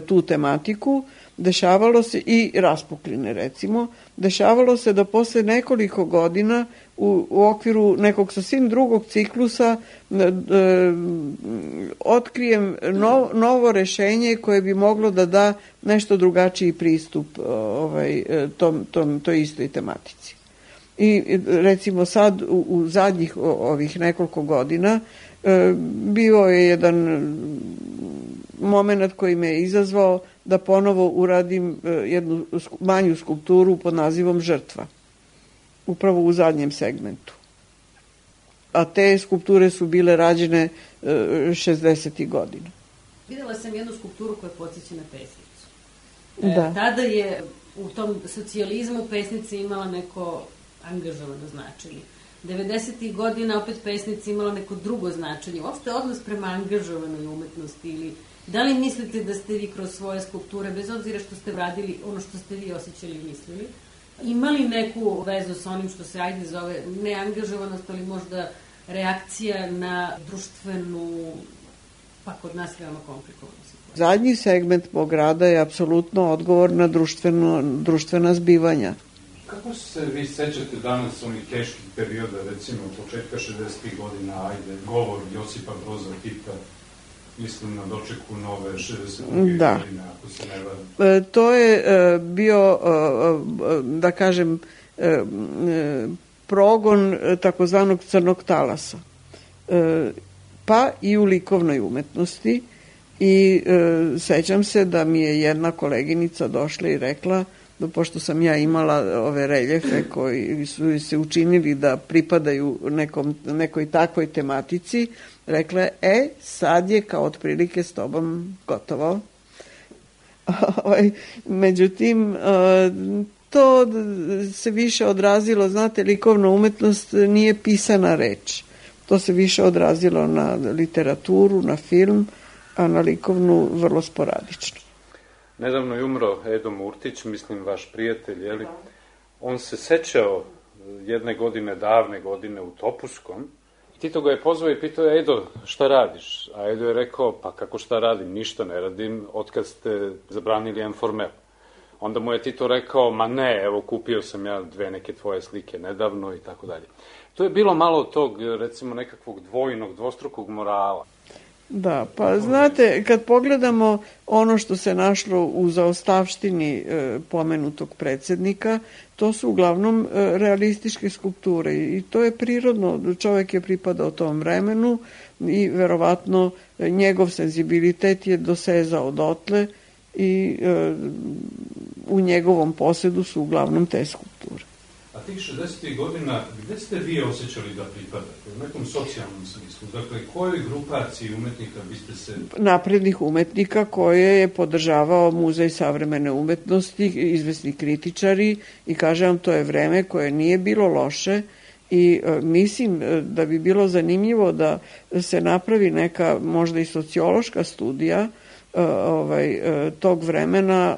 tu tematiku, dešavalo se i raspukline recimo, dešavalo se da posle nekoliko godina u, u okviru nekog sasvim drugog ciklusa e, e, otkrijem no, novo rešenje koje bi moglo da da nešto drugačiji pristup ovaj, tom, tom, toj istoj tematici. I recimo sad u, u zadnjih ovih nekoliko godina e, bio je jedan moment koji me je izazvao da ponovo uradim jednu manju skulpturu pod nazivom Žrtva. Upravo u zadnjem segmentu. A te skulpture su bile rađene šezdesetih godina. Videla sam jednu skulpturu koja podsjeća na pesnicu. Da. E, tada je u tom socijalizmu pesnica imala neko angažovano značenje. devedesetih godina opet pesnica imala neko drugo značenje. Uopšte odnos prema angažovanoj umetnosti ili da li mislite da ste vi kroz svoje skulpture, bez obzira što ste radili ono što ste vi osjećali i mislili, imali neku vezu sa onim što se ajde zove neangažovanost, ali možda reakcija na društvenu, pa kod nas veoma komplikovanu situaciju? Zadnji segment mog rada je apsolutno odgovor na društveno, društvena zbivanja. Kako se vi sećate danas onih teških perioda, recimo početka šezdesetih godina, ajde, govor Josipa Broza Tita, mislim na dočeku nove šezdesetih da. godine, ako se ne varam. E, to je e, bio, e, da kažem, e, progon takozvanog crnog talasa. E, pa i u likovnoj umetnosti. I e, sećam se da mi je jedna koleginica došla i rekla, da pošto sam ja imala ove reljefe koji su se učinili da pripadaju nekom, nekoj takvoj tematici, rekla je, e, sad je kao otprilike s tobom gotovo. Međutim, to se više odrazilo, znate, likovna umetnost nije pisana reč. To se više odrazilo na literaturu, na film, a na likovnu vrlo sporadično. Nedavno je umro Edo Murtić, mislim vaš prijatelj, jeli? On se sećao jedne godine, davne godine u Topuskom. Tito ga je pozvao i pitao je, Edo, šta radiš? A Edo je rekao, pa kako šta radim, ništa ne radim, otkad ste zabranili Informel. Onda mu je Tito rekao, ma ne, evo kupio sam ja dve neke tvoje slike nedavno i tako dalje. To je bilo malo tog, recimo, nekakvog dvojnog, dvostrukog morala. Da, pa znate, kad pogledamo ono što se našlo u zaostavštini e, pomenutog predsednika, to su uglavnom e, realističke skulpture i to je prirodno, čovek je pripadao tom vremenu i verovatno e, njegov senzibilitet je dosezao dotle i e, u njegovom posedu su uglavnom te skulpture. A tih šezdesetih godina, gde ste vi osjećali da pripadate? U nekom socijalnom smislu? Dakle, kojoj grupaciji umetnika biste se... Naprednih umetnika koje je podržavao Muzej savremene umetnosti, izvesni kritičari i kažem vam, to je vreme koje nije bilo loše i e, mislim da bi bilo zanimljivo da se napravi neka možda i sociološka studija ovaj, tog vremena,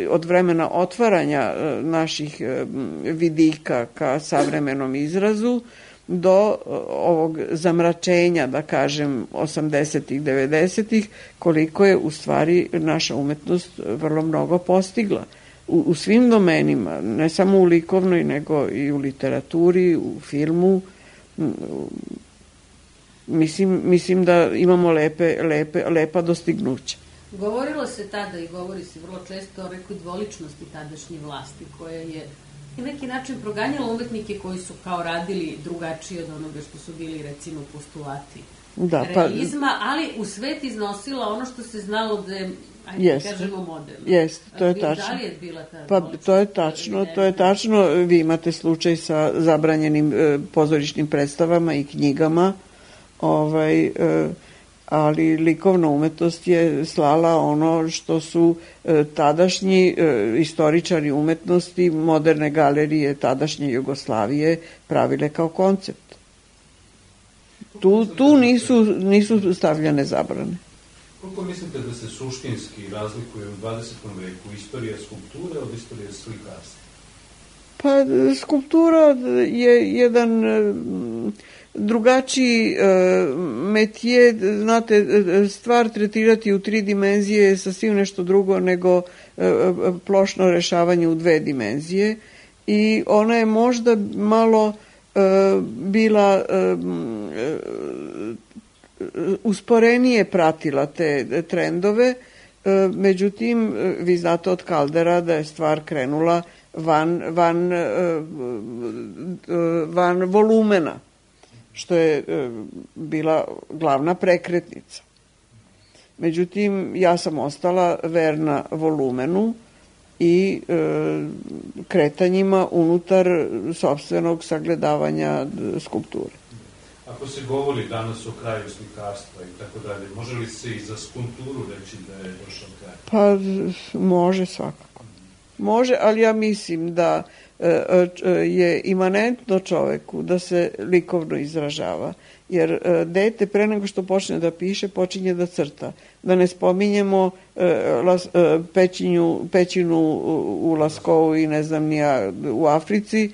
od vremena otvaranja naših vidika ka savremenom izrazu do ovog zamračenja, da kažem, osamdesetih, devedesetih, koliko je u stvari naša umetnost vrlo mnogo postigla. U, u svim domenima, ne samo u likovnoj, nego i u literaturi, u filmu. Mislim, mislim da imamo lepe, lepe, lepa dostignuća. Govorilo se tada i govori se vrlo često o nekoj dvoličnosti tadašnje vlasti, koja je na neki način proganjala umetnike koji su kao radili drugačije od onoga što su bili, recimo, postulati da, pa, realizma, ali u svet iznosila ono što se znalo da je, ajde jest, kažemo, moderno. Jeste, to je tačno. Da li je bila ta pa, to je tačno, to je tačno. Vi imate slučaj sa zabranjenim e, pozorišnim predstavama i knjigama, ovaj, e, ali likovna umetnost je slala ono što su e, tadašnji e, istoričari umetnosti, moderne galerije tadašnje Jugoslavije pravile kao koncept. Tu, tu nisu, nisu stavljane zabrane. Koliko mislite da se suštinski razlikuje u dvadesetom veku istorija skulpture od istorije slikarstva? Pa skulptura je jedan drugačiji metije, znate, stvar tretirati u tri dimenzije je sasvim nešto drugo nego plošno rešavanje u dve dimenzije i ona je možda malo bila usporenije pratila te trendove, međutim, vi znate od Kaldera da je stvar krenula van, van, van volumena, što je bila glavna prekretnica. Međutim, ja sam ostala verna volumenu i e, kretanjima unutar sopstvenog sagledavanja skulpture. A Ako se govori danas o kraju slikarstva i tako dalje, može li se i za skulpturu reći da je došao kraj? Pa može svakako. Može, ali ja mislim da je imanentno čoveku da se likovno izražava. Jer dete pre nego što počne da piše, počinje da crta. Da ne spominjemo pećinju, pećinu u Laskovu i ne znam nija u Africi,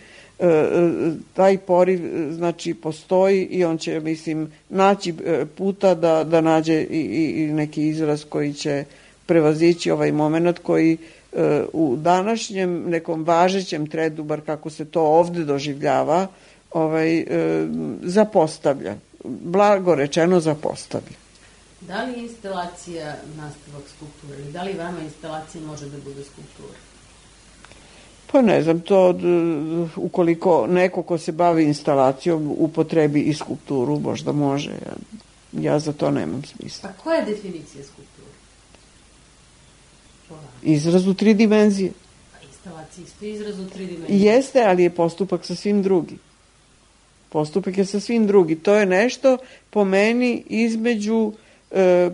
taj poriv znači postoji i on će, mislim, naći puta da, da nađe i, i neki izraz koji će prevazići ovaj moment koji u današnjem nekom važećem tredu, bar kako se to ovde doživljava, ovaj, zapostavlja. Blago rečeno zapostavlja. Da li je instalacija nastavak skulpture ili da li vama instalacija može da bude skulptura? Pa ne znam, to ukoliko neko ko se bavi instalacijom upotrebi i skulpturu, možda može. Ja, ja za to nemam smisla. Pa koja je definicija skulpture? Izraz u tri dimenzije. A instalacija isto izraz u tri dimenzije? Jeste, ali je postupak sasvim drugi. Postupak je sasvim drugi. To je nešto po meni između e,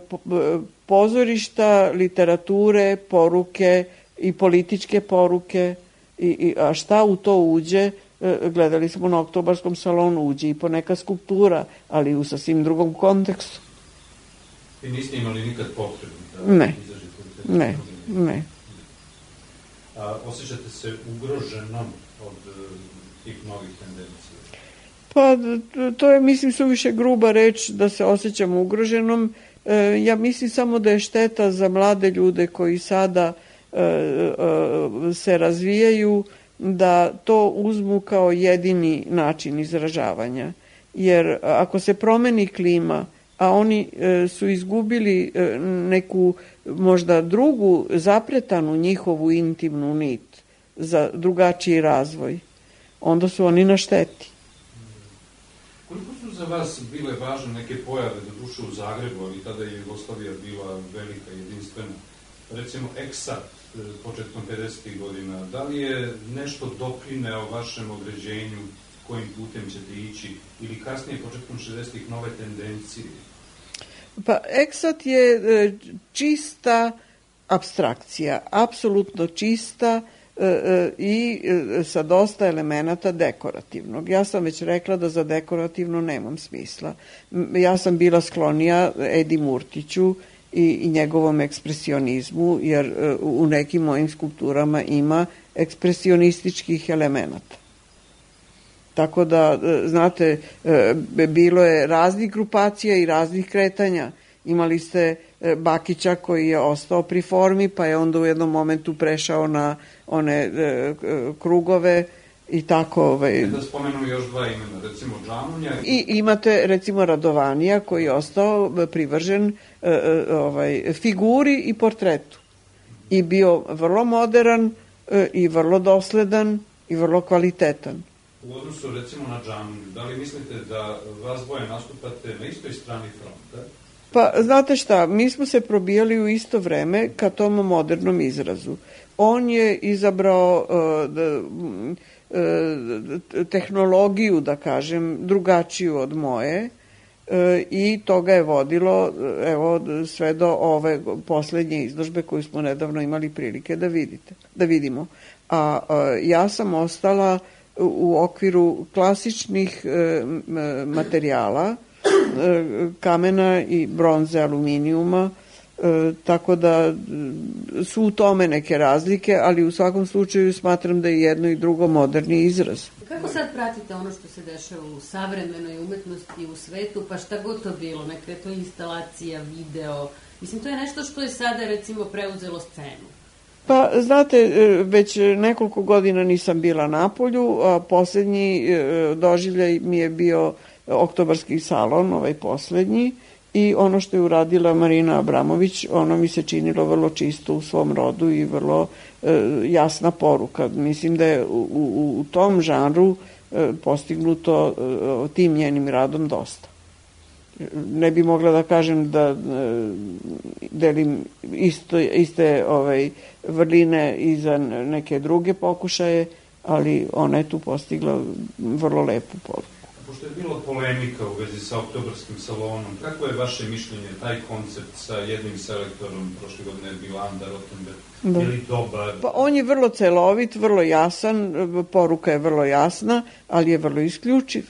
pozorišta, literature, poruke i političke poruke. I, i, a šta u to uđe? E, gledali smo na Oktobarskom salonu, uđe i poneka skulptura, ali u sasvim drugom kontekstu. I niste imali nikad potrebu da ne. izažete u te ne, ne. A osjećate se ugroženom od tih novih tendencija? Pa to je, mislim, suviše gruba reč da se osjećam ugroženom. E, ja mislim samo da je šteta za mlade ljude koji sada e, e, se razvijaju, da to uzmu kao jedini način izražavanja. Jer ako se promeni klima, a oni e, su izgubili e, neku možda drugu zapretanu njihovu intimnu nit za drugačiji razvoj, onda su oni na šteti. Koliko su za vas bile važne neke pojave, do duše u Zagrebu, ali tada je Jugoslavija bila velika, jedinstvena, recimo Eksat početkom pedesetih godina, da li je nešto doprineo vašem određenju kojim putem ćete ići, ili kasnije početkom šezdesetih nove tendencije? Pa Eksat je čista apstrakcija, apsolutno čista i sa dosta elemenata dekorativnog. Ja sam već rekla da za dekorativno nemam smisla. Ja sam bila sklonija Edi Murtiću i, i njegovom ekspresionizmu, jer u nekim mojim skulpturama ima ekspresionističkih elemenata. Tako da, znate, bilo je raznih grupacija i raznih kretanja. Imali ste Bakića koji je ostao pri formi, pa je onda u jednom momentu prešao na one krugove i tako. Ovaj. Da spomenemo još dva imena, recimo Džamunja. I imate, recimo, Radovanija koji je ostao privržen ovaj, figuri i portretu. I bio vrlo modern i vrlo dosledan i vrlo kvalitetan. U odnosu, recimo, na Džamunju, da li mislite da vas dvoje nastupate na istoj strani fronta? Pa, znate šta, mi smo se probijali u isto vreme ka tom modernom izrazu. On je izabrao uh, da, uh, tehnologiju, da kažem, drugačiju od moje uh, i to ga je vodilo, evo, sve do ove poslednje izložbe koju smo nedavno imali prilike da vidite, da vidimo. A uh, ja sam ostala u okviru klasičnih uh, materijala, kamena i bronze, aluminijuma, e, tako da su u tome neke razlike, ali u svakom slučaju smatram da je jedno i drugo moderni izraz. Kako sad pratite ono što se dešava u savremenoj umetnosti i u svetu, pa šta god to bilo, neka je to instalacija, video, mislim, to je nešto što je sada, recimo, preuzelo scenu. Pa, znate, već nekoliko godina nisam bila na polju, a poslednji doživljaj mi je bio Oktobarski salon, ovaj poslednji, i ono što je uradila Marina Abramović, ono mi se činilo vrlo čisto u svom rodu i vrlo e, jasna poruka. Mislim da je u, u, u tom žanru e, postignuto e, tim njenim radom dosta. Ne bi mogla da kažem da e, delim isto, iste ovaj, vrline i za neke druge pokušaje, ali ona je tu postigla vrlo lepu poruku. pošto je bilo polemika u vezi sa oktobarskim salonom, kako je vaše mišljenje, taj koncept sa jednim selektorom, prošle godine je bila Anda Rottenberg, da. Je li dobar? Pa on je vrlo celovit, vrlo jasan, poruka je vrlo jasna, ali je vrlo isključiv.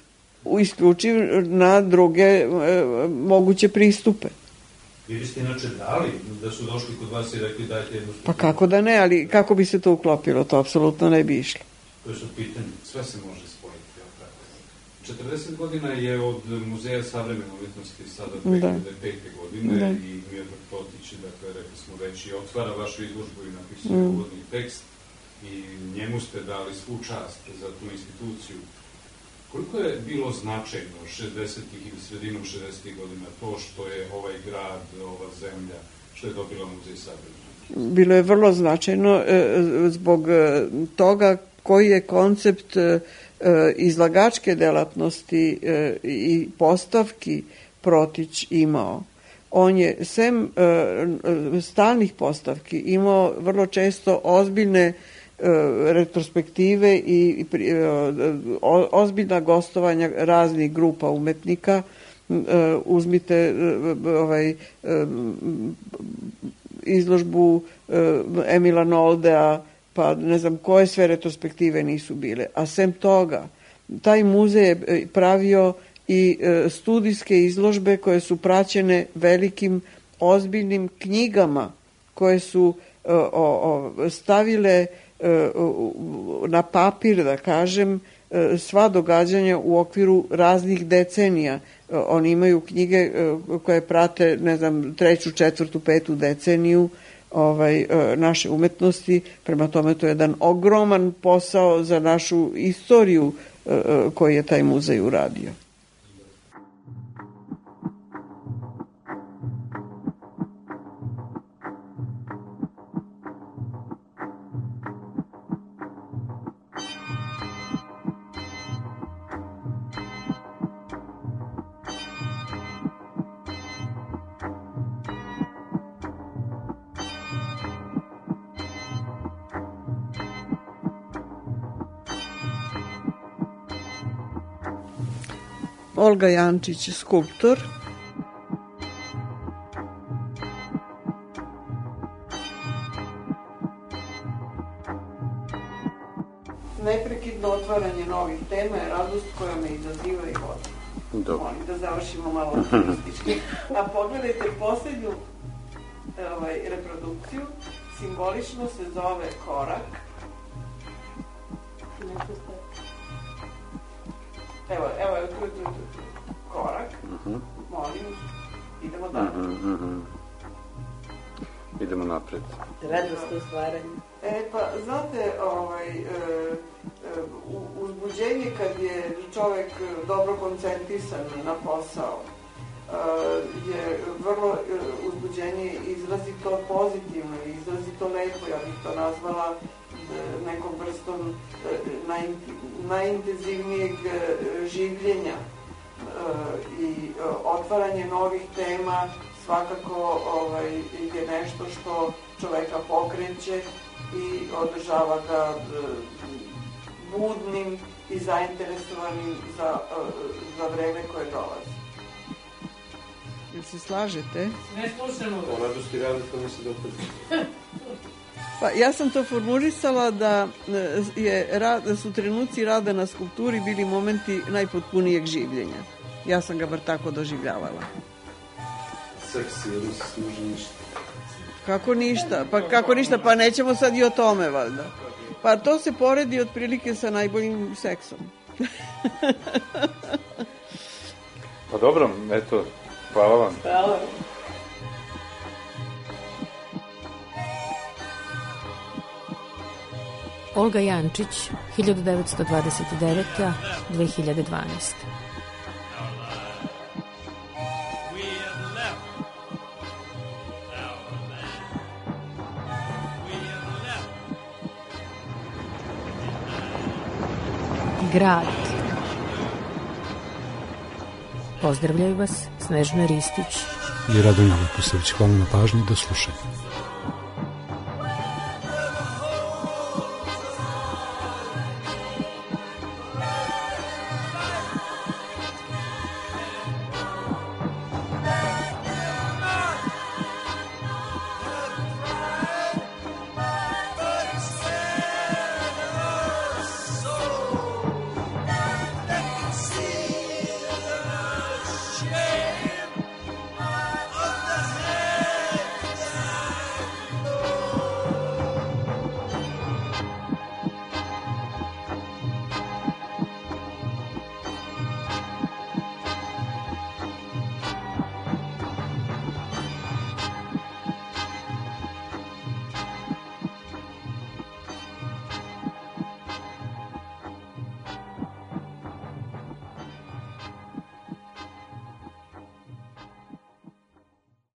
Isključiv na druge e, moguće pristupe. Vi biste inače dali da su došli kod vas i rekli dajte jednu stupu? Pa kako da ne, ali kako bi se to uklopilo, to apsolutno ne bi išlo. To je su pitanje, sve se može spojiti. četrdeset godina je od Muzeja savremene umjetnosti sada dve hiljade pete. godine da. I Miodrag Totić, dakle, rekli smo već, i otvara vašu izložbu i napisuje mm. uvodni tekst i njemu ste dali svu čast za tu instituciju. Koliko je bilo značajno šezdesetih ili sredinom šezdesetih godina to što je ovaj grad, ova zemlja, što je dobila Muzej savremene? Bilo je vrlo značajno e, zbog toga koji je koncept e, izlagačke delatnosti e, i postavki Protić imao. On je sem e, stalnih postavki imao vrlo često ozbiljne retrospektive i ozbiljna gostovanja raznih grupa umetnika. Uzmite ovaj izložbu Emila Noldea, pa ne znam koje sve retrospektive nisu bile. A sem toga, taj muzej je pravio i studijske izložbe koje su praćene velikim ozbiljnim knjigama koje su stavile na papir, da kažem, sva događanja u okviru raznih decenija. Oni imaju knjige koje prate, ne znam, treću, četvrtu, petu deceniju ovaj, naše umetnosti. Prema tome, to je jedan ogroman posao za našu istoriju koji je taj muzej uradio. Olga Jančić, skulptor. Neprekidno otvaranje novih tema je radost koja me izaziva i vodi. Molim da završimo malo optimistički. A pogledajte poslednju ovaj, reprodukciju, simbolično se zove Korak. Evo, evo, evo, tu, tu, tu, tu. Korak. Uh-huh. Molim, idemo dalje. Uh-huh, uh-huh. Idemo napred. Radost u stvaranju. E, pa, znate, ovaj, e, e, uzbuđenje kad je čovek dobro koncentrisan na posao e, je vrlo e, uzbuđenje izrazito pozitivno, izrazito lepo, ja bih to nazvala nekom vrstom najintenzivnijeg življenja i otvaranje novih tema svakako ovaj, je nešto što čoveka pokreće i održava ga budnim i zainteresovanim za, za vreme koje dolazi. Jel se slažete? Ne slušamo. O radosti rada to mi se dopada. Pa ja sam to formulisala da, je, da su trenuci rada na skulpturi bili momenti najpotpunijeg življenja. Ja sam ga bar tako doživljavala. Seksi, jer se služi ništa. Kako ništa? Pa kako ništa? Pa nećemo sad i o tome, valjda. Pa to se poredi otprilike sa najboljim seksom. Pa dobro, eto, hvala vam. Hvala. Olga Jančić, hiljadu devetsto dvadeset devete. do dve hiljade dvanaeste. Grad. Pozdravljaju vas Snežana Ristić i Radomir Vukosević. Hvala na pažnji, do slušanja.